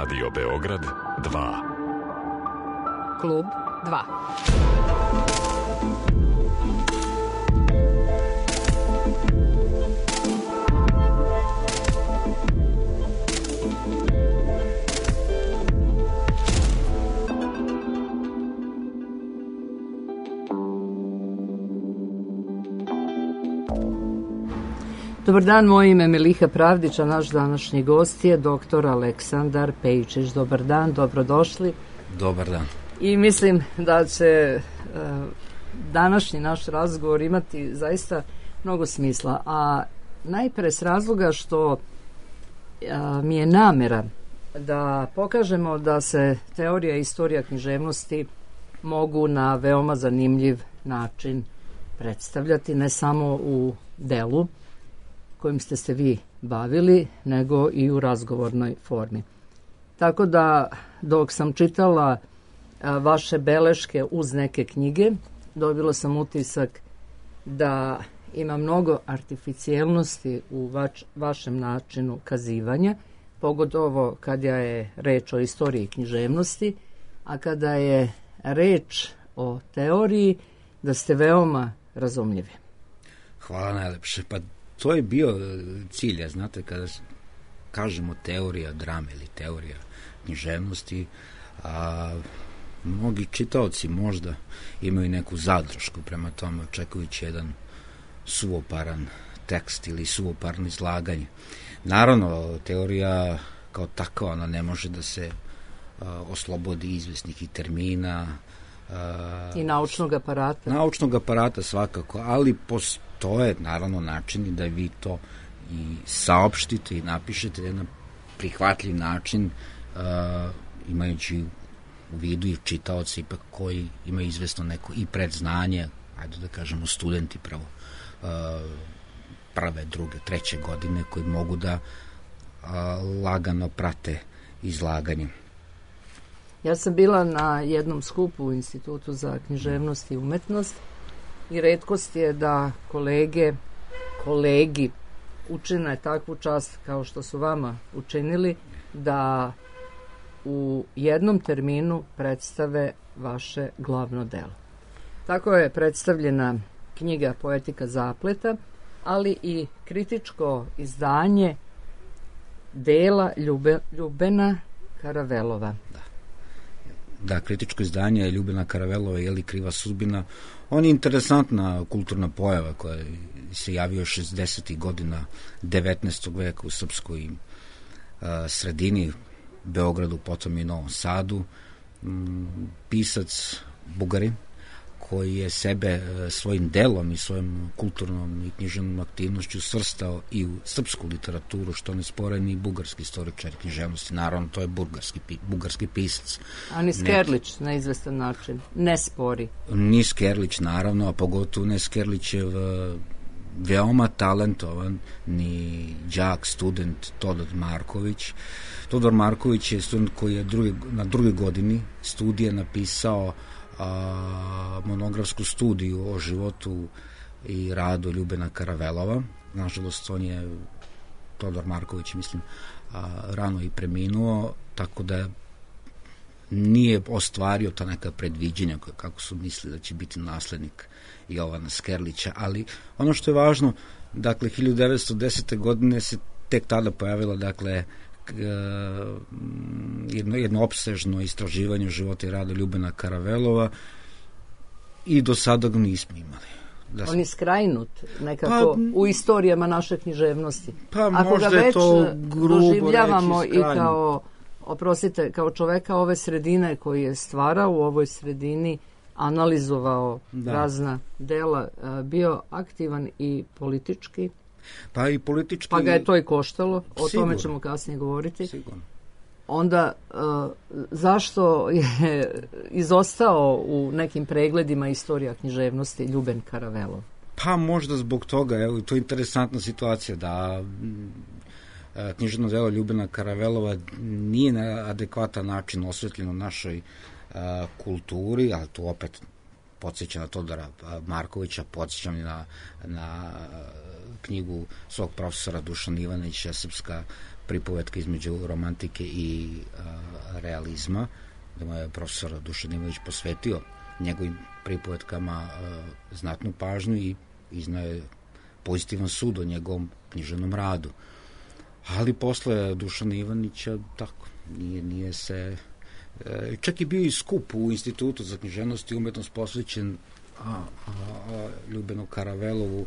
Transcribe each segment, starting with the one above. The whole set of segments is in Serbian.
Radio Beograd 2. Klub 2. Dobar dan, moje ime je Miliha Pravdić, a naš današnji gost je dr. Aleksandar Pejčić. Dobar dan, dobrodošli. Dobar dan. I mislim da će današnji naš razgovor imati zaista mnogo smisla, a najpre s razloga što mi je namera da pokažemo da se teorija i istorija književnosti mogu na veoma zanimljiv način predstavljati, ne samo u delu kojim ste se vi bavili, nego i u razgovornoj formi. Tako da, dok sam čitala vaše beleške uz neke knjige, dobila sam utisak da ima mnogo artificijelnosti u vašem načinu kazivanja, pogotovo kada je reč o istoriji književnosti, a kada je reč o teoriji, da ste veoma razumljivi. Hvala najlepše. Pa to je bio cilj, znate, kada kažemo teorija drame ili teorija književnosti, mnogi čitaoci možda imaju neku zadršku prema tome, očekujući jedan suvoparan tekst ili suvoparno izlaganje. Naravno, teorija kao takva, ona ne može da se oslobodi izvesnih i termina, i naučnog aparata. Naučnog aparata svakako, ali postoje naravno načini da vi to i saopštite i napišete na jedan prihvatljiv način, imajući u vidu i čitaoci ipak koji imaju izvesno neko i predznanje, ajde da kažemo studenti prve, druge, treće godine koji mogu da lagano prate izlaganje. Ja sam bila na jednom skupu u Institutu za književnost i umetnost i retkost je da kolegi učine takvu čast kao što su vama učinili, da u jednom terminu predstave vaše glavno delo. Tako je predstavljena knjiga Poetika zapleta, ali i kritičko izdanje dela Ljubena Karavelova. Da, kritičko izdanje je Ljubena Karavelova, je li Kriva sudbina. On je interesantna kulturna pojava koja se javio 60. godina 19. veka u srpskoj sredini, Beogradu, potom i Novom Sadu. Pisac Bugarin, koji je sebe svojim delom i svojom kulturnom i književnom aktivnošću svrstao i u srpsku literaturu, što ne spore ni bugarski istoričar književnosti. Naravno, to je bugarski pisac. A ni Skerlić na izvestan način ne spori. Ni Skerlić, naravno, a pogotovo ne Skerlićev veoma talentovan ni đak, student Todor Marković. Todor Marković je student koji je na drugoj godini studija napisao monografsku studiju o životu i radu Ljubena Karavelova. Nažalost, on je, Todor Marković, mislim, rano i preminuo, tako da nije ostvario ta neka predviđenja kako su mislili da će biti naslednik Jovana Skerlića, ali ono što je važno, dakle, 1910. godine se tek tada pojavila, dakle, jedno opsežno istraživanje života i rada Ljubena Karavelova i do sada ga nismo imali. On je skrajnut nekako u istorijama naše književnosti. Pa ako ga već doživljavamo reći, i kao, oprostite, kao čoveka ove sredine koji je stvarao u ovoj sredini, analizovao razna dela, bio aktivan i politički. Pa i politički. Pa ga je to i koštalo, o tome ćemo kasnije govoriti. Sigurno. Onda, zašto je izostao u nekim pregledima istorija književnosti Ljuben Karavelov? Pa možda zbog toga, evo, to je interesantna situacija da književno delo Ljubena Karavelova nije na adekvatan način osvetljeno našoj kulturi, ali to opet podsjeća na Todora Markovića, podsjećam na knjigu svog profesora Dušana Ivanića, Srpska pripovetka između romantike i realizma, da mu je profesor Dušan Ivanić posvetio njegovim pripovetkama znatnu pažnju i iznao je pozitivan sud o njegovom književnom radu. Ali posle Dušana Ivanića tako, nije se... Čak je bio i skup u Institutu za književnost i umetnost posvećen Ljubenu Karavelovu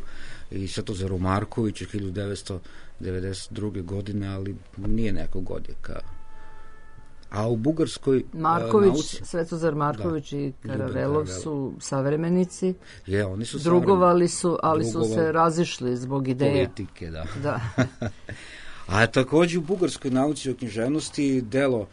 i Svetozaru Markoviću 1992. godine, ali nije nekog odjeka. A u bugarskoj nauci... Svetozar Marković i Karavelov su savremenici. Oni su drugovali su, ali su se razišli zbog ideje. Politike, da. A takođe u bugarskoj nauci o književnosti delo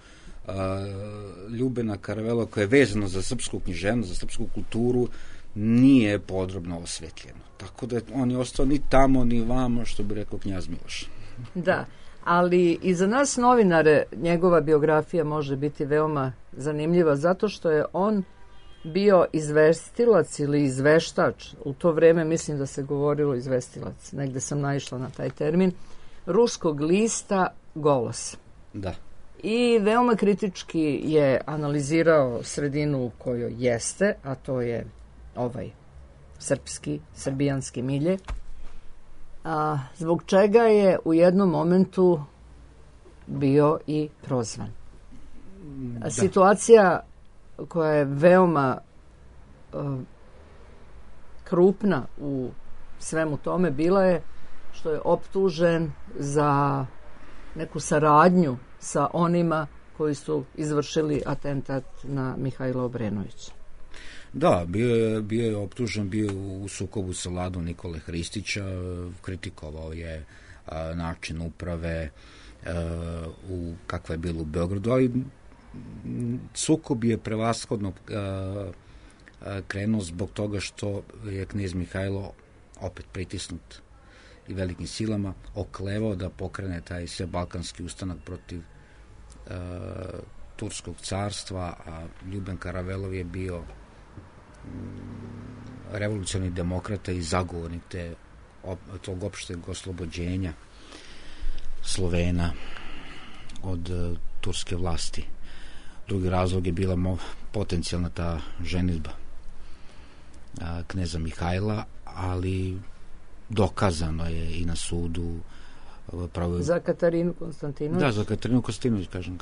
Ljubena Karavelova, koje je vezano za srpsku književnost, za srpsku kulturu, nije podrobno osvetljeno. Tako da on je ostao ni tamo, ni vamo, što bi rekao knjaz Miloš. Da, ali i za nas novinare njegova biografija može biti veoma zanimljiva, zato što je on bio izvestilac ili izveštač. U to vreme mislim da se govorilo izvestilac. Negde sam naišla na taj termin. Ruskog lista Golos. Da. I veoma kritički je analizirao sredinu u kojoj jeste, a to je ovaj srbijanski milje, zbog čega je u jednom momentu bio i prozvan. Da. Situacija koja je veoma krupna u svemu tome bila je što je optužen za neku saradnju sa onima koji su izvršili atentat na Mihajla Obrenovića. Da, bio je optužen, bio u sukobu sa Vladom Nikole Hristića, kritikovao je način uprave kakva je bilo u Beogradu, ali sukob je prevashodno krenuo zbog toga što je knez Mihajlo, opet pritisnut i velikim silama, oklevao da pokrene taj svebalkanski ustanak protiv Turskog carstva, a Ljuben Karavelov je bio revolucionarni demokrata i zagovornik tog opšteg oslobođenja Slovena od turske vlasti. Drugi razlog je bila potencijalna ta ženidba kneza Mihajla, ali dokazano je i na sudu za Katarinu Konstantinović. Da, za Katarinu Konstantinović, kažem,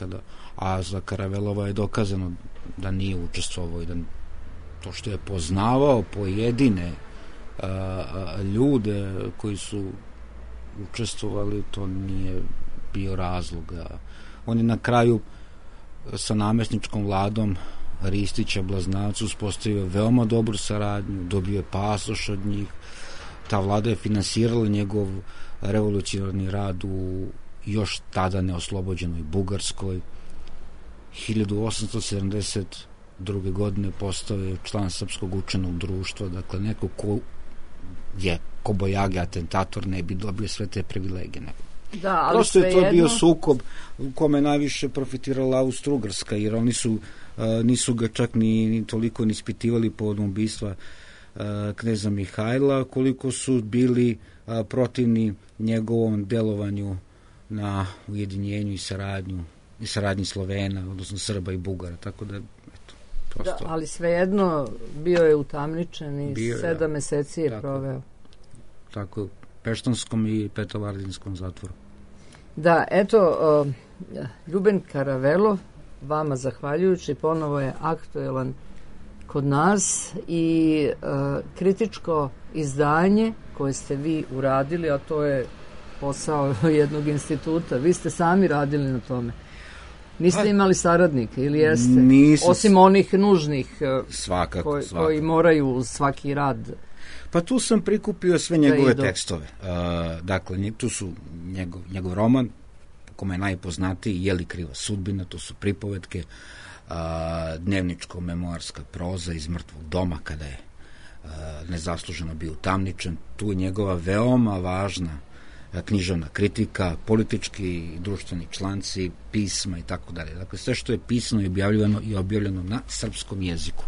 a za Karavelova je dokazano da nije učestvovao i da to što je poznavao pojedine ljude koji su učestvovali, to nije bio razlog. On je na kraju sa namesničkom vladom Ristića Blaznavca uspostavio veoma dobru saradnju, dobio je pasoš od njih. Ta vlada je finansirala njegov revolucionarni rad u još tada neoslobođenoj Bugarskoj. 1872. godine postao je član Srpskog učenog društva, dakle neko ko je kobojage atentator ne bi dobio sve te privilegije. Da, ali prosto je to bio sukob u kome najviše profitirala Austro-Ugarska, jer oni nisu ga čak ni toliko ni ispitivali povodom ubistva kneza Mihajla, koliko su bili protivni njegovom delovanju na ujedinjenju i saradnji Slovena, odnosno Srba i Bugara, tako da da, ali svejedno bio je utamničen i 7 meseci je proveo. Tako, u Peštanskom i Petrovardinskom zatvoru. Da, eto, Ljuben Karavelov, vama zahvaljujući, ponovo je aktuelan kod nas i kritičko izdanje koje ste vi uradili, a to je posao jednog instituta. Vi ste sami radili na tome. Niste imali saradnike ili jeste? Nisam. Osim onih nužnih svakako. Koji moraju svaki rad. Pa tu sam prikupio sve njegove tekstove. Dakle, tu su njegov roman, kome je najpoznatiji, Je li kriva sudbina, to su pripovetke, dnevničko-memoarska proza iz Mrtvog doma, kada je nezasluženo bio utamničen. Tu je njegova veoma važna književna kritika, politički i društveni članci, pisma i tako dalje. Dakle, sve što je pisano i objavljeno na srpskom jeziku.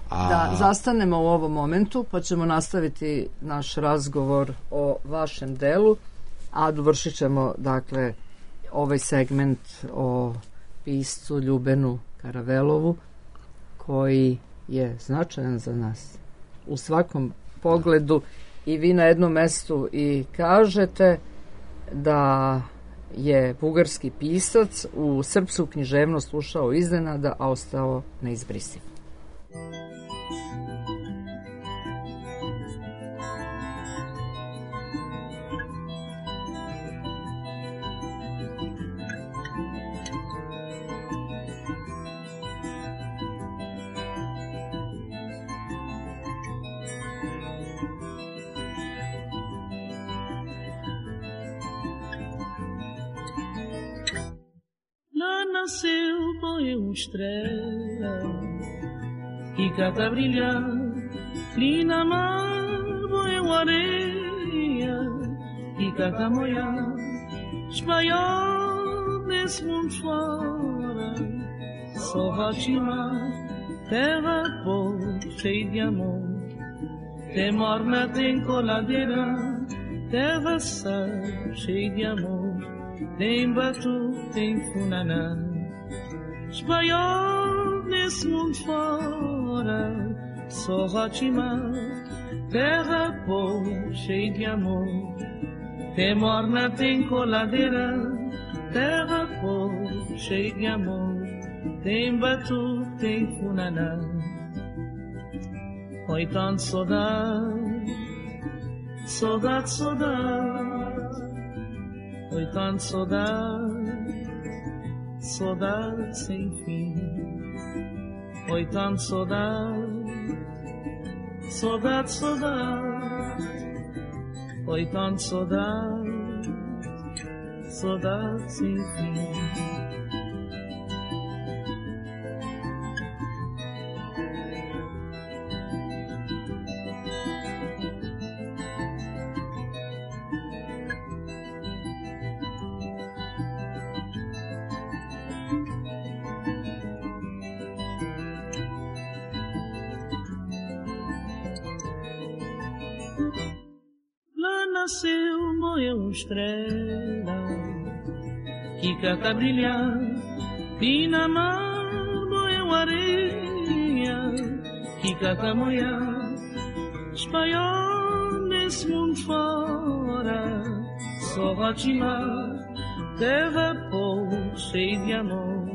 Da zastanemo u ovom momentu, pa ćemo nastaviti naš razgovor o vašem delu, a dovršit ćemo, dakle, ovaj segment o piscu Ljubenu Karavelovu, koji je značajan za nas u svakom pogledu. I vi na jednom mestu i kažete da je bugarski pisac u srpsku književnost ušao iznenada, a ostao neizbrisiv. Nasceu boa estrela e cata brilhar ali na mar boa areia e cata moiar espalhar nesse mundo fora só Fatima terra boa cheia de amor tem morna tem coladeira terra sã cheia de amor tem batu tem funaná espalhar nesse mundo fora só Fatima terra boa cheia de amor tem morna tem coladeira terra boa cheia de amor tem batu tem funaná oi tanto saudade saudade saudade oi tanto saudade saudade sem fim oi tanto saudade saudade saudade oi tanto saudade saudade sem fim nasceu boa estrela que cata brilhar e na mar boa areia que cata moiar espalhar nesse mundo fora só Fatima terra boa cheia de amor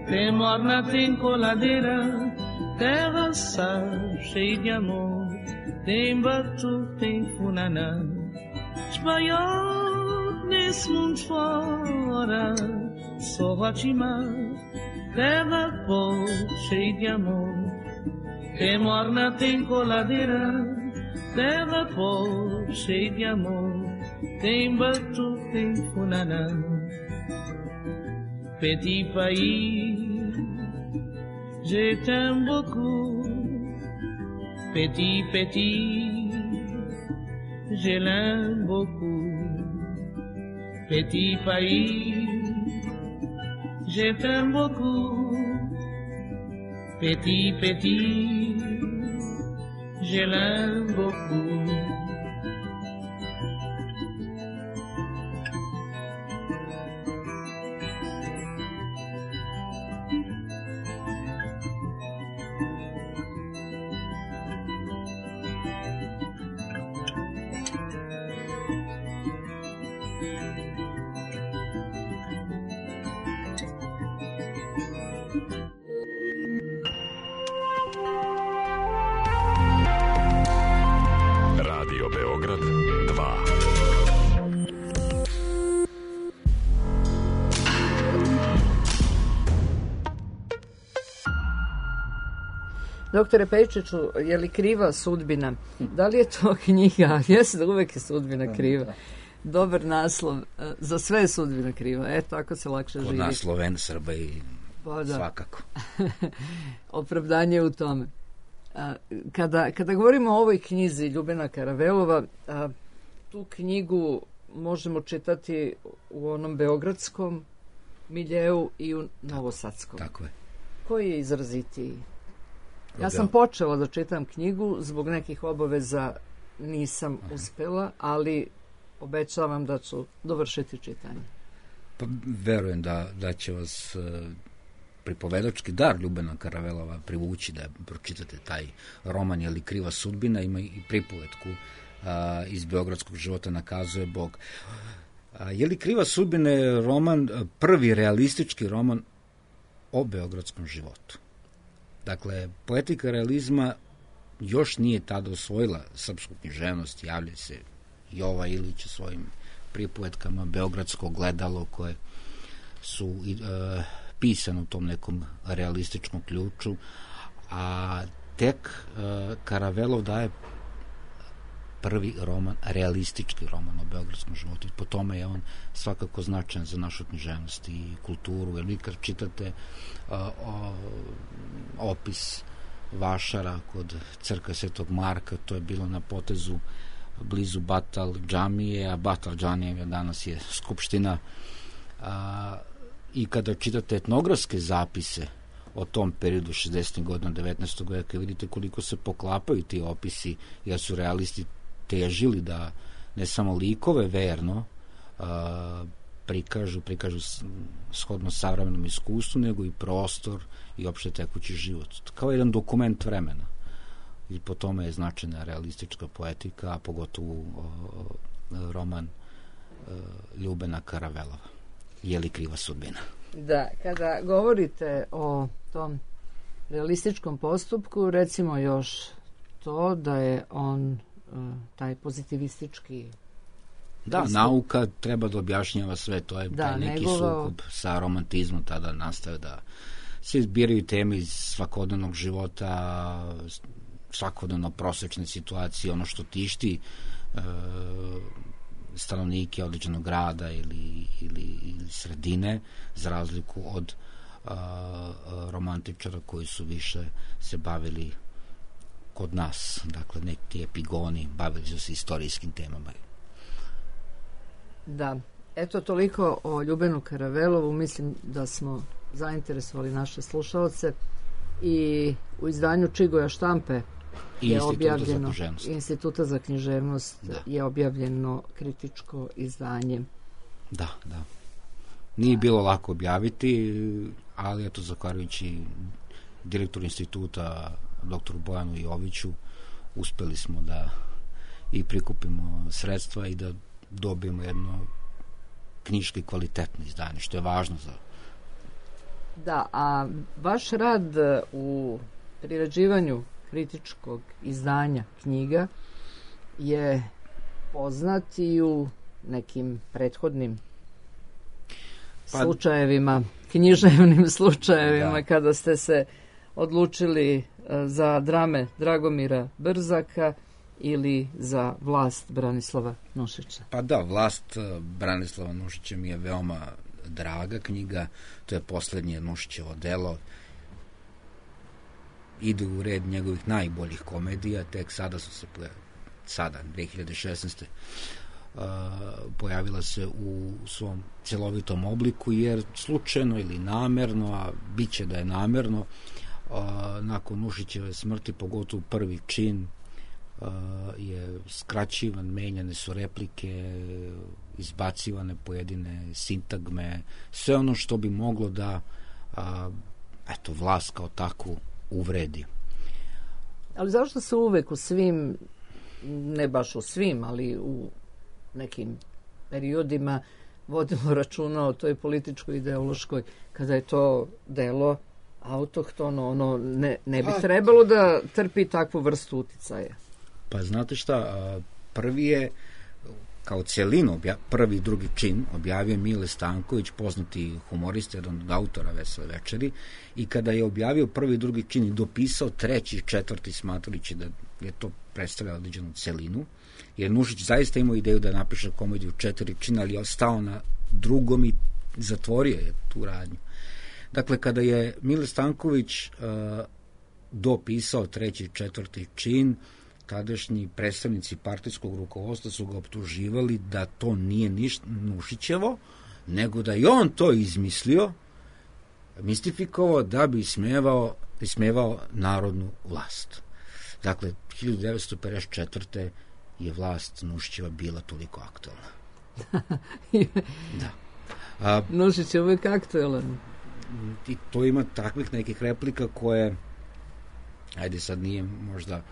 tem morna tem coladeira terra sã cheia de amor tem batu tem funaná espalhar nesse mundo fora só Fatima terra boa cheia de amor tem morna tem coladeira terra boa cheia de amor tem batu tem funaná petit pays je t'aime beaucoup petit petit je l'aime beaucoup petit pays je t'aime beaucoup petit petit je l'aime beaucoup Doktore Pejčiću, je li kriva sudbina? Da li je to knjiga? Jesi da uvek je sudbina kriva. Dobar naslov. Za sve je sudbina kriva. Eto, ako se lakše živi. Kod nas Sloven, Srba i svakako. Opravdanje u tome. Kada govorimo o ovoj knjizi Ljubena Karavelova, tu knjigu možemo čitati u onom beogradskom miljeu i u novosadskom. Tako je. Koji je izrazitiji? Ja sam počela da čitam knjigu, zbog nekih obaveza nisam uspela, ali obećavam da ću dovršiti čitanje. Pa verujem da će vas pripovedački dar Ljubena Karavelova privući da pročitate taj roman Je li kriva sudbina, ima i pripovetku iz beogradskog života Nakazuje Bog. Je li kriva sudbina je roman, prvi realistički roman o beogradskom životu. Dakle, poetika realizma još nije tada osvojila srpsku književnost, javlja se Jova Ilić svojim pripovetkama, Beogradsko gledalo, koje su pisane u tom nekom realističkom ključu, a tek Karavelov daje prvi roman, realistički roman o beogradskom životu. Po tome je on svakako značajan za našu književnost i kulturu, jer vi kad čitate opis vašara kod crkve Svetog Marka, to je bilo na potezu blizu Batal džamije, a Batal džamije danas je skupština. I kada čitate etnografske zapise o tom periodu 60. godina 19. veka, vidite koliko se poklapaju ti opisi, jer su realisti težili da ne samo likove verno prikažu shodno savremenom iskustvu, nego i prostor i opšte tekući život. Kao jedan dokument vremena. I po tome je značajna realistička poetika, a pogotovo roman Ljubena Karavelova. Je li kriva sudbina? Da, kada govorite o tom realističkom postupku, recimo još to da je on taj pozitivistički pristup. Nauka treba da objašnjava sve, to je taj neki sukob sa romantizmom tada nastaje, da se izbiraju teme iz svakodnevnog života, svakodnevno prosečne situacije, ono što tišti stanovnike određenog grada ili sredine, za razliku od romantičara koji su više se bavili kod nas, dakle neki epigoni, bavili su se istorijskim temama. Da, eto toliko o Ljubenu Karavelovu, mislim da smo zainteresovali naše slušalce i u izdanju Čigoja štampe je objavljeno, Instituta za književnost je objavljeno kritičko izdanje. Da. Nije bilo lako objaviti, ali eto, zahvaljujući direktoru instituta, doktoru Bojanu Joviću, uspeli smo da i prikupimo sredstva i da dobijemo jedno knjiški kvalitetno izdanje, što je važno za... Da, a vaš rad u priređivanju kritičkog izdanja knjiga je poznat i u nekim prethodnim slučajevima, književnim slučajevima, kada ste se odlučili za drame Dragomira Brzaka ili za Vlast Branislava Nušića. Pa da, Vlast Branislava Nušića mi je veoma draga knjiga, to je poslednje Nušićevo delo, ide u red njegovih najboljih komedija, tek sada su se 2016. Pojavila se u svom celovitom obliku, jer slučajno ili namerno, a bit će da je namerno, nakon Nušićeve smrti, pogotovo prvi čin, je skraćivan, menjane su replike, izbacivane pojedine sintagme, sve ono što bi moglo da vlast kao takvu uvredi. Ali zašto se uvek u svim, ne baš u svim, ali u nekim periodima vodimo računa o toj političkoj ideološkoj, kada je to delo autohtono, ono ne bi trebalo da trpi takvu vrstu uticaja? Pa znate šta, prvi je kao celinu, prvi i drugi čin objavio Mile Stanković, poznati humorista, jedan od autora Vesele večeri, i kada je objavio prvi i drugi čin i dopisao treći i četvrti, smatrajući da je to predstavljalo određenu celinu, jer Nušić zaista imao ideju da napiše komediju 4 čina, ali je stao na drugom i zatvorio je tu radnju. Dakle, kada je Mile Stanković dopisao treći i četvrti čin, tadašnji predstavnici partijskog rukovodstva su ga optuživali da to nije ništa Nušićevo, nego da je on to izmislio, mistifikovao da bi ismevao ismevao narodnu vlast. Dakle, 1954. je vlast Nušićeva bila toliko aktualna. Da. Nušić je uvijek aktualan. I to ima takvih nekih replika koje, ajde sad nije možda,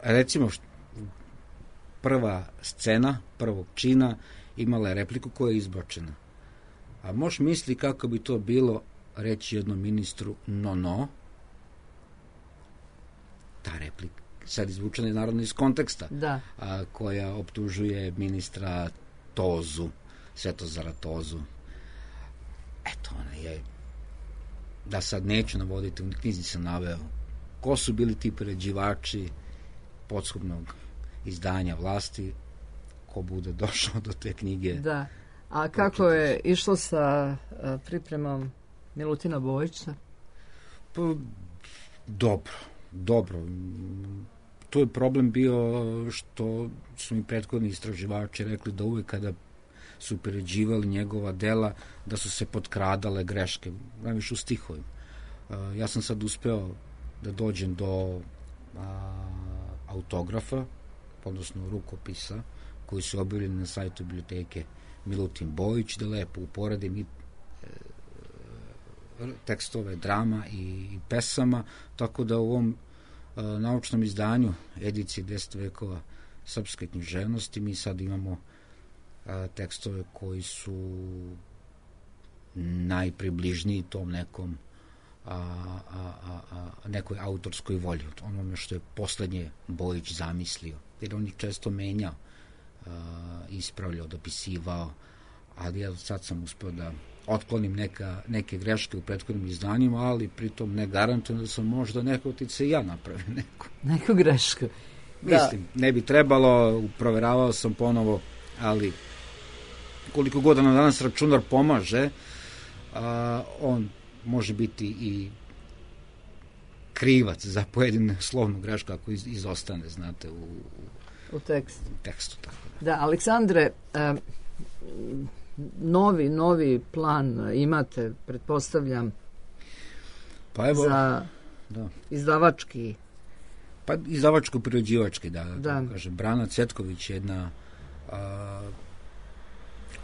recimo prva scena prvog čina imala je repliku koja je izbačena. A možeš misli kako bi to bilo reći jednom ministru no, ta replika sad izvučena je naravno iz konteksta, koja optužuje ministra Tozu, Svetozara Tozu. Eto, ona je, da sad neću navoditi, u knjizi sam naveo ko su bili ti priređivači podskupnog izdanja vlasti, ko bude došao do te knjige. Da. A kako je išlo sa pripremom Milutina Bojića? Pa, dobro. Tu je problem bio što su mi prethodni istraživači rekli da uvek kada su priređivali njegova dela, da su se potkradale greške, najviše u stihovima. Ja sam sad uspeo da dođem do autografa, odnosno rukopisa, koji su objavljeni na sajtu biblioteke Milutin Bojić, da lepo uporedim i tekstove drama i pesama, tako da u ovom naučnom izdanju edicije 10 vekova srpske književnosti mi sad imamo tekstove koji su najpribližniji tom nekom nekoj autorskoj volji, onome što je poslednje Bojić zamislio, jer on ih često menjao, ispravljao, dopisivao, ali ja sad sam uspeo da otklonim neke greške u prethodnim izdanjima, ali pritom ne garantujem da sam možda neko otice i ja napravio neku grešku. Mislim, ne bi trebalo, proveravao sam ponovo, ali koliko god nam danas računar pomaže, on može biti i krivac za pojedinu slovnu grešku ako izostane, znate, u tekstu. Tako da, Aleksandre, novi plan imate, pretpostavljam, pa evo, za izdavački. Pa izdavačko-priređivački, da. Kažem, Brana Cvetković je jedna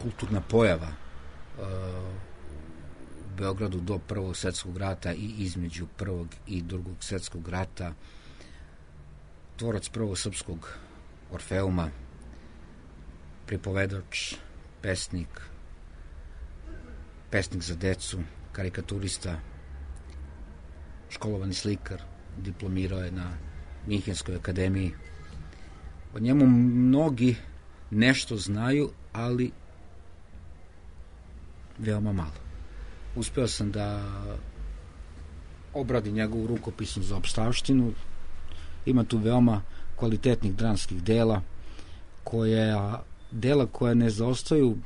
kulturna pojava u Beogradu do Prvog svjetskog rata i između Prvog i Drugog svjetskog rata, tvorac prvog srpskog Orfeuma, pripovedač, pesnik za decu, karikaturista, školovani slikar, diplomirao je na Minhenskoj akademiji. O njemu mnogi nešto znaju, ali veoma malo. Uspeo sam da obradim njegovu rukopisnu za opstavštinu. Ima tu veoma kvalitetnih dramskih dela, koja ne zaostaju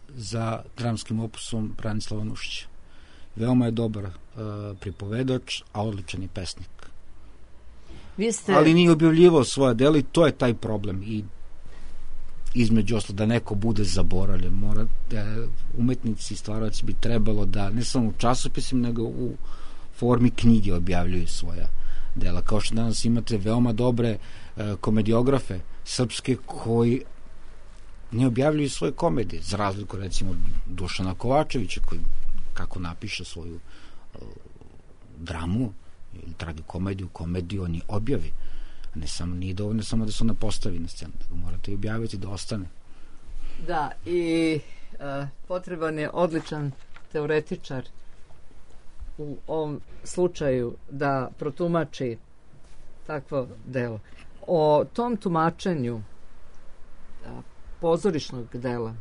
za dramskim opusom Branislava Nušića. Veoma je dobar pripovedač, a odličan je pesnik. Ali nije objavljivao svoje dela i to je taj problem. I između oslo da neko bude zaboravljen. Umetnici i stvaraoci bi trebalo da ne samo u časopisima, nego u formi knjige objavljuju svoja dela. Kao što danas imate veoma dobre komediografe srpske koji ne objavljuju svoje komedije, za razliku recimo Dušana Kovačevića koji kako napiše svoju dramu ili komediju on je objavi. Nije dovoljno samo da se ona postavi na scenu, nego morate i objaviti da ostane. Da, i potreban je odličan teoretičar u ovom slučaju da protumači takvo delo. O tom tumačenju pozorišnog dela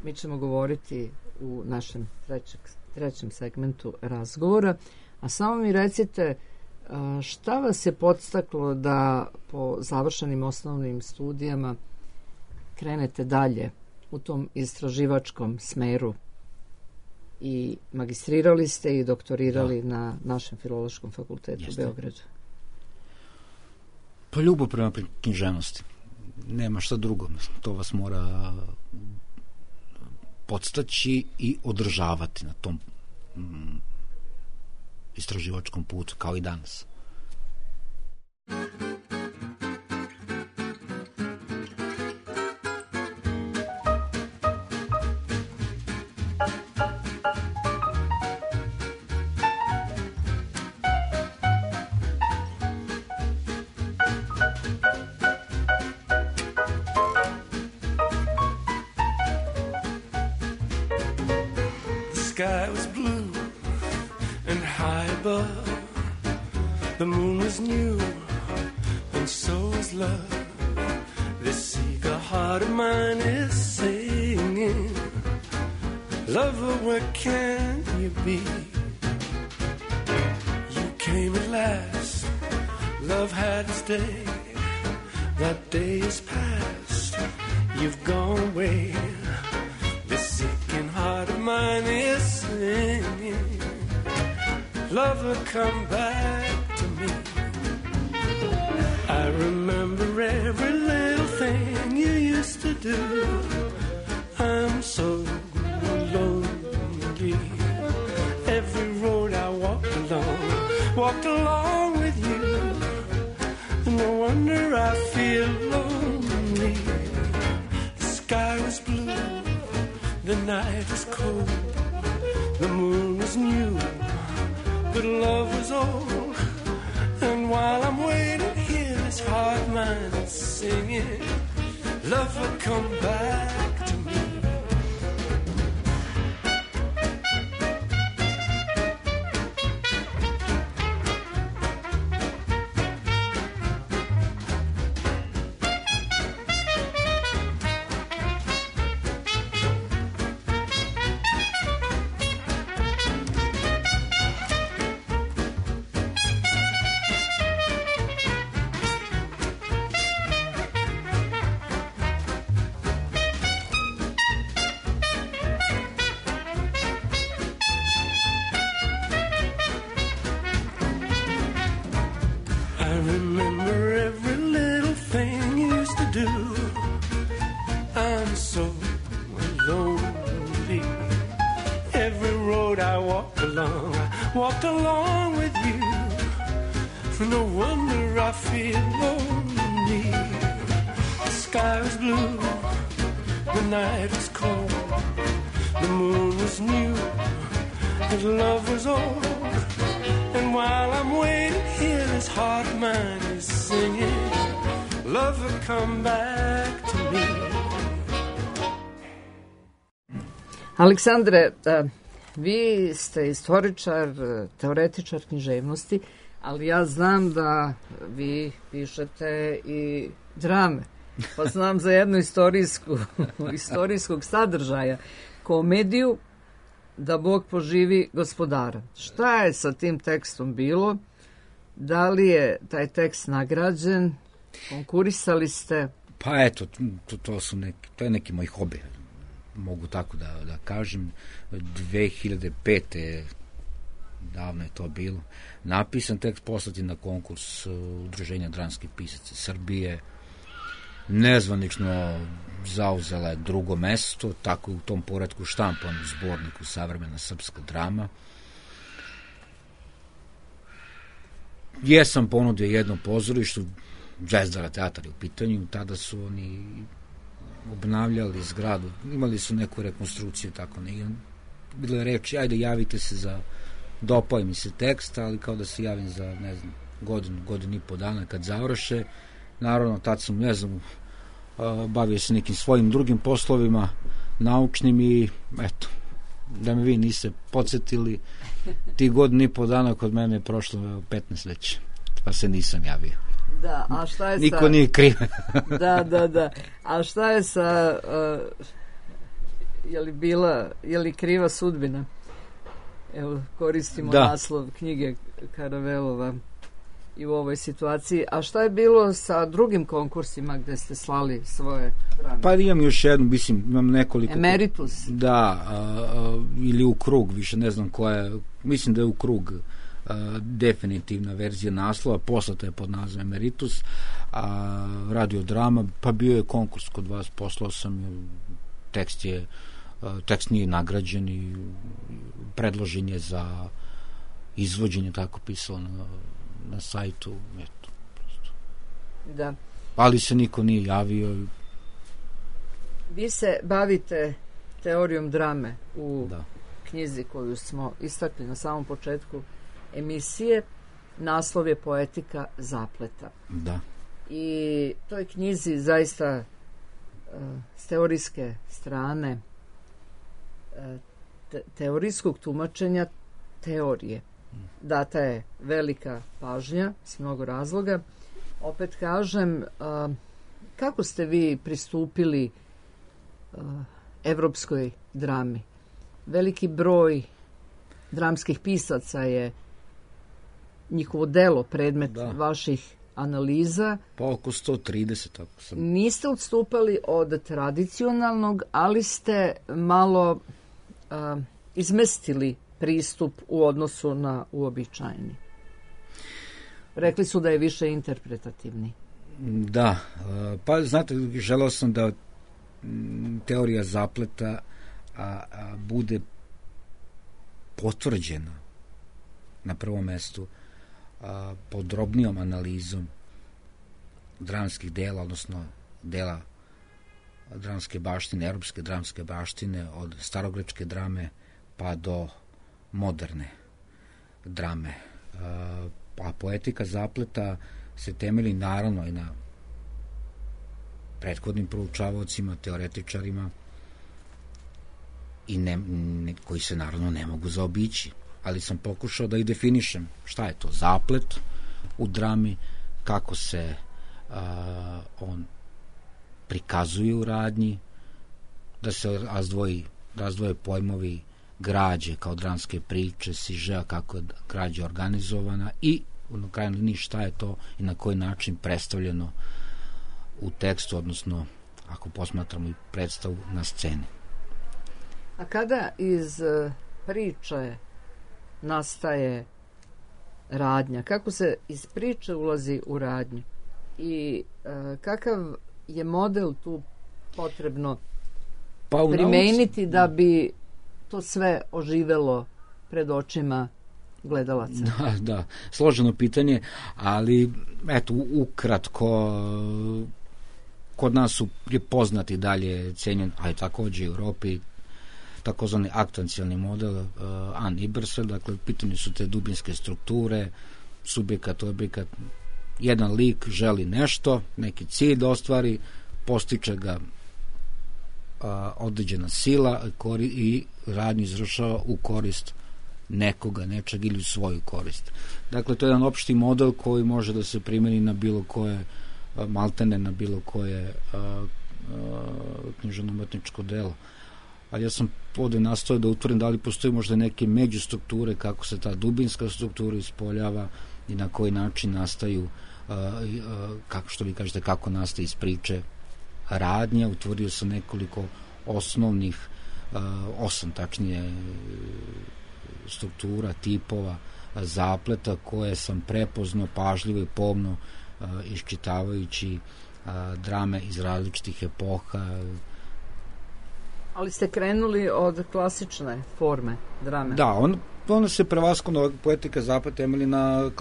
mi ćemo govoriti u našem trećem segmentu razgovora, a samo mi recite šta vas je podstaklo da po završenim osnovnim studijama krenete dalje u tom istraživačkom smeru i magistrirali ste i doktorirali na našem Filološkom fakultetu u Beogradu? Pa ljubav prema književnosti. Nema šta drugo. To vas mora podstaći i održavati na tom istraživačkom putu, kao i danas. Sky was blue and high above. The moon was new and so was love. This eager heart of mine is singing. Lover, where can you be? You came at last. Love had its day. That day is past. You've gone away. This aching heart of mine is singing. Lover, come back to me. I remember every little thing you used to do. I'm so lonely. Every road I walked along with you. No wonder I feel lonely. The sky was blue. The night was cold, the moon was new, but love was old. And while I'm waiting here, this heart of mine is singing, love will come back to me. Walked along with you. No wonder I feel lonely. The sky was blue, the night was cold, the moon was new, and love was old. And while I'm waiting here, this heart of mine is singing, love will come back to me. Aleksandre, vi ste istoričar, teoretičar književnosti, ali ja znam da vi pišete i drame. Pa znam za jednu istorijskog sadržaja, komediju Da Bog poživi gospodara. Šta je sa tim tekstom bilo? Da li je taj tekst nagrađen? Konkurisali ste? Pa eto, to je neki moj hobi. Mogu tako da kažem. 2005. davno je to bilo. Napisan tekst, poslati na konkurs Udruženja dramskih pisaca Srbije. Nezvanično zauzela je drugo mesto, tako je u tom poretku štampan u zborniku Savremena srpska drama. Jesam ponudio jedno pozorištu, Zvezdara teatar je u pitanju, tada su oni obnavljali zgradu, imali su neku rekonstrukciju, tako ne. Bilo je reči, ajde javite se dopao mi se tekst, ali kao da se javim za, ne znam, godinu i po dana kad završe. Naravno, tad sam, ne znam, bavio se nekim svojim drugim poslovima, naučnim i, eto, da me vi niste podsjetili, ti godinu i po dana kod mene je prošlo 15 već, pa se nisam javio. Da, a šta je Niko nije kriv. Da. A šta je sa, je li kriva sudbina? Evo, koristimo naslov knjige Karavelova i u ovoj situaciji. A šta je bilo sa drugim konkursima gde ste slali svoje drame? Pa imam još jednu, imam nekoliko. Emeritus? Da, ili U krug, više ne znam koja je, mislim da je U krug definitivna verzija naslova, poslata je pod nazivom Emeritus, a radiodrama, pa bio je konkurs kod vas, poslao sam, tekst nije nagrađen i predložen je za izvođenje, tako pisalo na sajtu, eto, prosto. Da. Ali se niko nije javio. Vi se bavite teorijom drame u knjizi koju smo istakli na samom početku emisije. Naslov je Poetika zapleta. Da. I toj knjizi zaista s teorijske strane teorijskog tumačenja teorije data je velika pažnja s mnogo razloga. Opet kažem, kako ste vi pristupili evropskoj drami? Veliki broj dramskih pisaca je njihovo delo predmet vaših analiza. Pa oko 130, tako sam. Niste odstupali od tradicionalnog, ali ste malo izmestili pristup u odnosu na uobičajeni. Rekli su da je više interpretativni. Da, pa znate, želeo sam da teorija zapleta bude potvrđena na prvom mestu podrobnijom analizom dramskih dela, odnosno dela dramske baštine, europske dramske baštine, od starogrečke drame pa do moderne drame. A poetika zapleta se temelji naravno i na prethodnim proučavaocima, teoretičarima i koji se naravno ne mogu zaobići, ali sam pokušao da i definišem šta je to zaplet u drami, kako se on prikazuje u radnji, da se razdvoje pojmovi građe kao dramske priče, sižea, kako je građa organizovana i na krajnjoj liniji šta je to i na koji način predstavljeno u tekstu, odnosno ako posmatramo i predstavu na sceni. A kada iz priče nastaje radnja? Kako se iz priče ulazi u radnju? I kakav je model tu potrebno primeniti da bi to sve oživelo pred očima gledalaca? Da, složeno pitanje, ali eto, ukratko, kod nas je poznati dalje cenjen, a i takođe u Europi, takozvani aktancijalni model Anne Ibersfeld, dakle, pitanje su te dubinske strukture, subjekat, objekat, jedan lik želi nešto, neki cilj da ostvari, postiče ga određena sila i radnju izvršava u korist nekoga, nečeg ili u svoju korist. Dakle, to je jedan opšti model koji može da se primeni na bilo koje, maltene na bilo koje književno-umetničko delo. Ali ja sam ovde nastojao da utvorim da li postoji možda neke međustrukture, kako se ta dubinska struktura ispoljava i na koji način nastaju, kako što vi kažete, kako nastaje iz priče radnja. Utvorio sam nekoliko osnovnih, 8 tačnije struktura, tipova zapleta koje sam prepoznao pažljivo i pomno iščitavajući drame iz različitih epoha. Ali ste krenuli od klasične forme drame? Da, ona se prevashodno poetika zapleta temelji na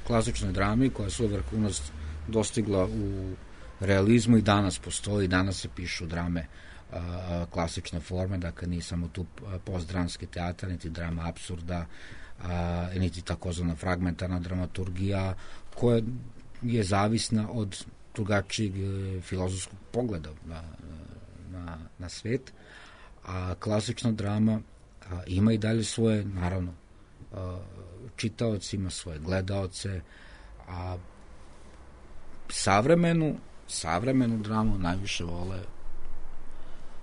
klasičnoj drami koja su vrhunac dostigla u realizmu i danas postoji, danas se pišu drame klasične forme, dakle nije samo tu postdramski teatar, niti drama apsurda, niti takozvana fragmentarna dramaturgija koja je zavisna od drugačijeg filozofskog pogleda na svet, a klasična drama ima i dalje svoje, naravno, čitaoci, ima svoje gledaoce, a savremenu dramu najviše vole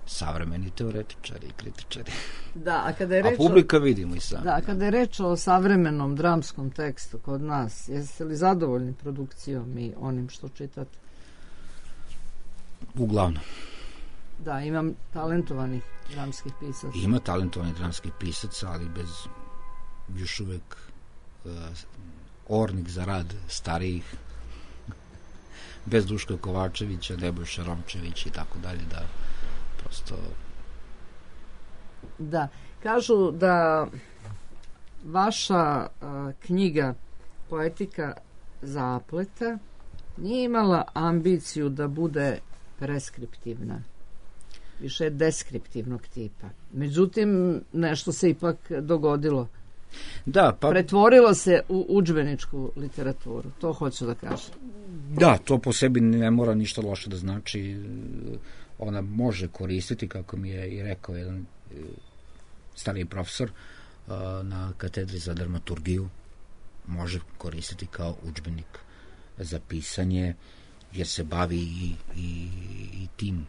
savremeni teoretičari i kritičari. Da, a publika vidimo i sam. Da, a kada je reč o savremenom dramskom tekstu kod nas, jeste li zadovoljni produkcijom i onim što čitate? Uglavnom. Da, imam talentovanih dramskih pisaca. Ima talentovanih dramskih pisaca, ali bez još uvek ornik za rad starijih, bez Duška Kovačevića, Nebojša Romčević i tako dalje, da prosto... Da, kažu da vaša knjiga Poetika zapleta nije imala ambiciju da bude preskriptivna. Više je deskriptivnog tipa. Međutim, nešto se ipak dogodilo. Da, pa... Pretvorilo se u udžbeničku literaturu. To hoću da kažem. Da, to po sebi ne mora ništa loše da znači. Ona može koristiti, kako mi je i rekao jedan stariji profesor na katedri za dramaturgiju, može koristiti kao udžbenik za pisanje, jer se bavi i tim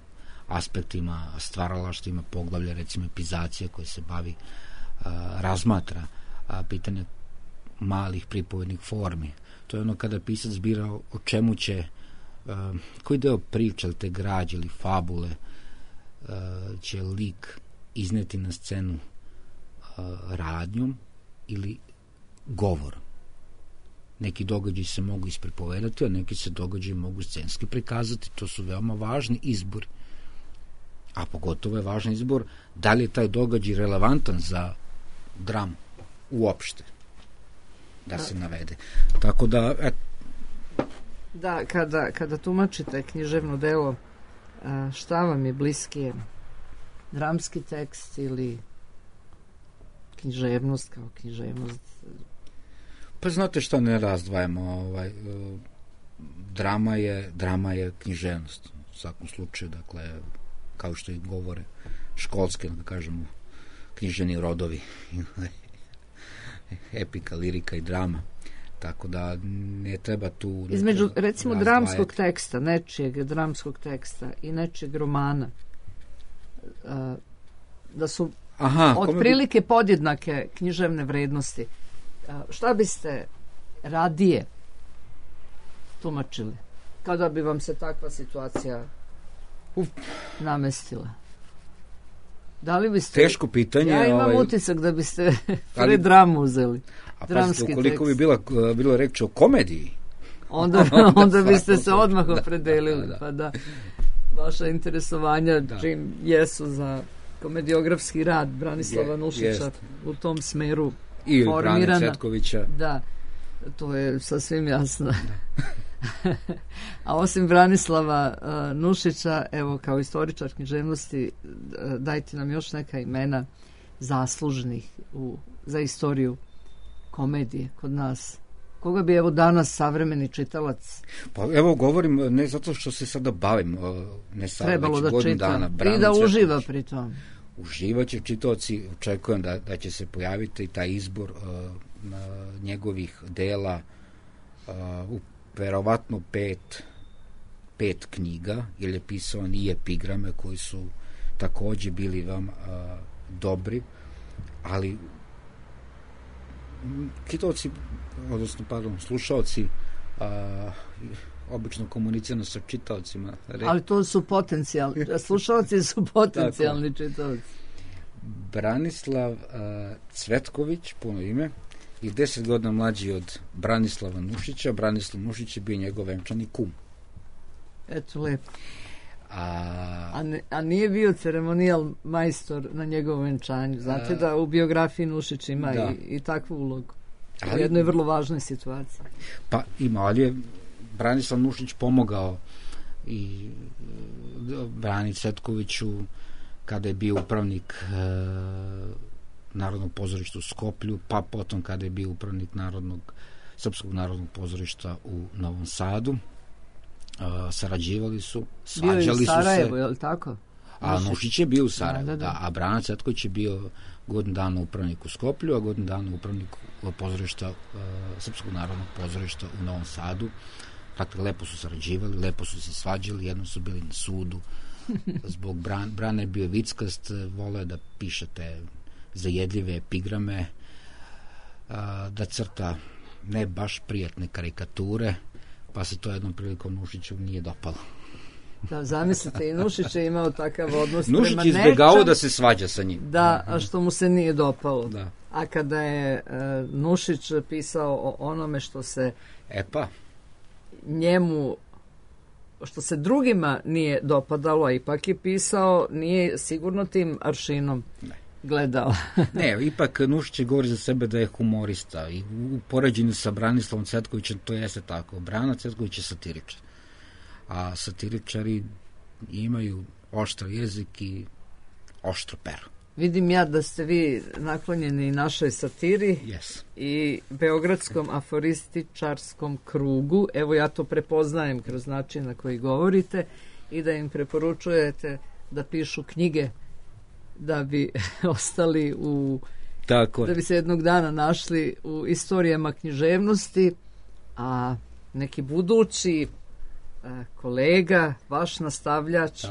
aspektima, stvaralaštima, poglavlja, recimo epizacije koje se bavi, razmatra pitanje malih pripovednih formi. To je ono kada pisac bira o čemu će, koji deo priče ili te građe ili fabule će lik izneti na scenu radnjom ili govorom. Neki događaji se mogu ispripovedati, a neki se događaji mogu scenski prikazati. To su veoma važni izbori. A pogotovo je važan izbor da li je taj događaj relevantan za dramu uopšte da se navede. Tako da... Da, kada tumačite književno delo, šta vam je bliskije? Dramski tekst ili književnost kao književnost? Pa znate šta, ne razdvajamo. Drama je književnost. U svakom slučaju, dakle, kao što i govore školske, da kažemo, književni rodovi. Epika, lirika i drama. Tako da ne treba tu... Između, recimo, dramskog teksta, nečijeg dramskog teksta i nečijeg romana, da su otprilike podjednake književne vrednosti. Šta biste radije tumačili kada bi vam se takva situacija namestila? Da li biste... Teško pitanje. Ja imam utisak da biste dramu uzeli. A pazite, ukoliko bi bilo reč o komediji, onda biste se odmah opredelili. Pa da, vaša interesovanja čim jesu za komediografski rad Branislava Nušića u tom smeru i formirana. Brane Cvetkovića. Da, to je sasvim jasno. A osim Branislava Nušića, evo, kao istoričar književnosti, dajte nam još neka imena zaslužnih za istoriju komedije kod nas. Koga bi evo danas savremeni čitalac? Pa evo govorim, ne zato što se sada bavim, ne sada, već godinu dana. I da uživa pri tom. Uživaće čitaoci, očekujem da će se pojaviti taj izbor njegovih dela u verovatno pet knjiga, jer je pisao i epigrame koji su takođe bili vam dobri, ali čitaoci, odnosno, slušaoci obično komunicirano sa čitaocima. Ali to su potencijalni, slušaoci su potencijalni čitaoci. Branislav Cvetković, puno ime, i 10 godina mlađi od Branislava Nušića. Branislav Nušić je bio njegov venčani kum. Eto, lepo. A nije bio ceremonijal majstor na njegovom venčanju. Znate da u biografiji Nušić ima i takvu ulogu. U jednoj vrlo važnoj situaciji. Pa ima, ali je Branislav Nušić pomogao i Brani Cvetkoviću kada je bio upravnik Narodnog pozorišta u Skoplju, pa potom kada je bio upravnik Srpskog narodnog pozorišta u Novom Sadu. Sarađivali su, svađali su se. Bio je u Sarajevu, je li tako? A Nušić je bio u Sarajevu, a Brana Cvetković je bio godinu dana upravnik u Skoplju, a godinu dana upravnik pozorišta, Srpskog narodnog pozorišta u Novom Sadu. Dakle, lepo su sarađivali, lepo su se svađali, jednom su bili na sudu. Zbog Brana je bio vickast, voleo da pišete zajedljive epigrame, da crta ne baš prijatne karikature, pa se to jednom prilikom Nušiću nije dopalo. Da, zamislite, i Nušić je imao takav odnos prema Nušić izbjegao da se svađa sa njim. Da, a što mu se nije dopalo. Da. A kada je Nušić pisao o onome što se njemu, što se drugima nije dopadalo, a ipak je pisao, nije sigurno tim aršinom. Ne. gledala. Ne, ipak Nušić govori za sebe da je humorista i u poređenju sa Branislavom Cvetkovićem to jeste tako. Brana Cvetković je satiričar, a satiričari imaju oštar jezik i oštro pero. Vidim ja da ste vi naklonjeni našoj satiri i beogradskom aforističarskom krugu. Evo ja to prepoznajem kroz način na koji govorite i da im preporučujete da pišu knjige da bi ostali da bi se jednog dana našli u istorijama književnosti, a neki budući kolega, vaš nastavljač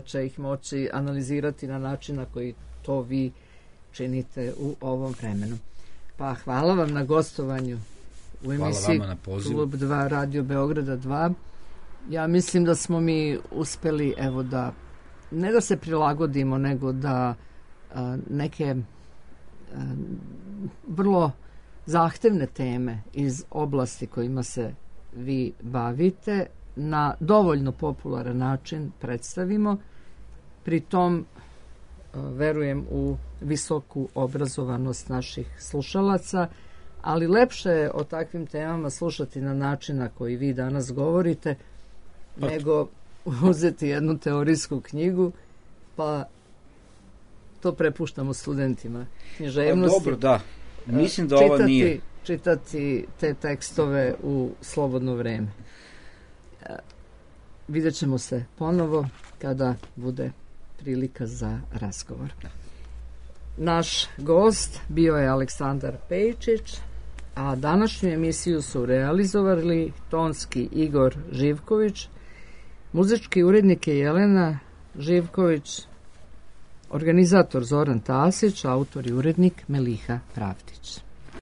će ih moći analizirati na način na koji to vi činite u ovom vremenu. Pa hvala vam na gostovanju u emisiji Klub 2 Radio Beograda 2. Ja mislim da smo mi uspeli, evo, da ne da se prilagodimo, nego da neke vrlo zahtevne teme iz oblasti kojima se vi bavite na dovoljno popularan način predstavimo. Pri tom verujem u visoku obrazovanost naših slušalaca, ali lepše je o takvim temama slušati na način na koji vi danas govorite, nego uzeti jednu teorijsku knjigu, pa to prepuštamo studentima književnosti. Dobro, da. Mislim da ovo nije. Čitati te tekstove u slobodno vreme. Vidjet ćemo se ponovo kada bude prilika za razgovor. Naš gost bio je Aleksandar Pejčić, a današnju emisiju su realizovali tonski Igor Živković, muzički urednik je Jelena Živković, organizator Zoran Tasić, autor i urednik Meliha Pravdić.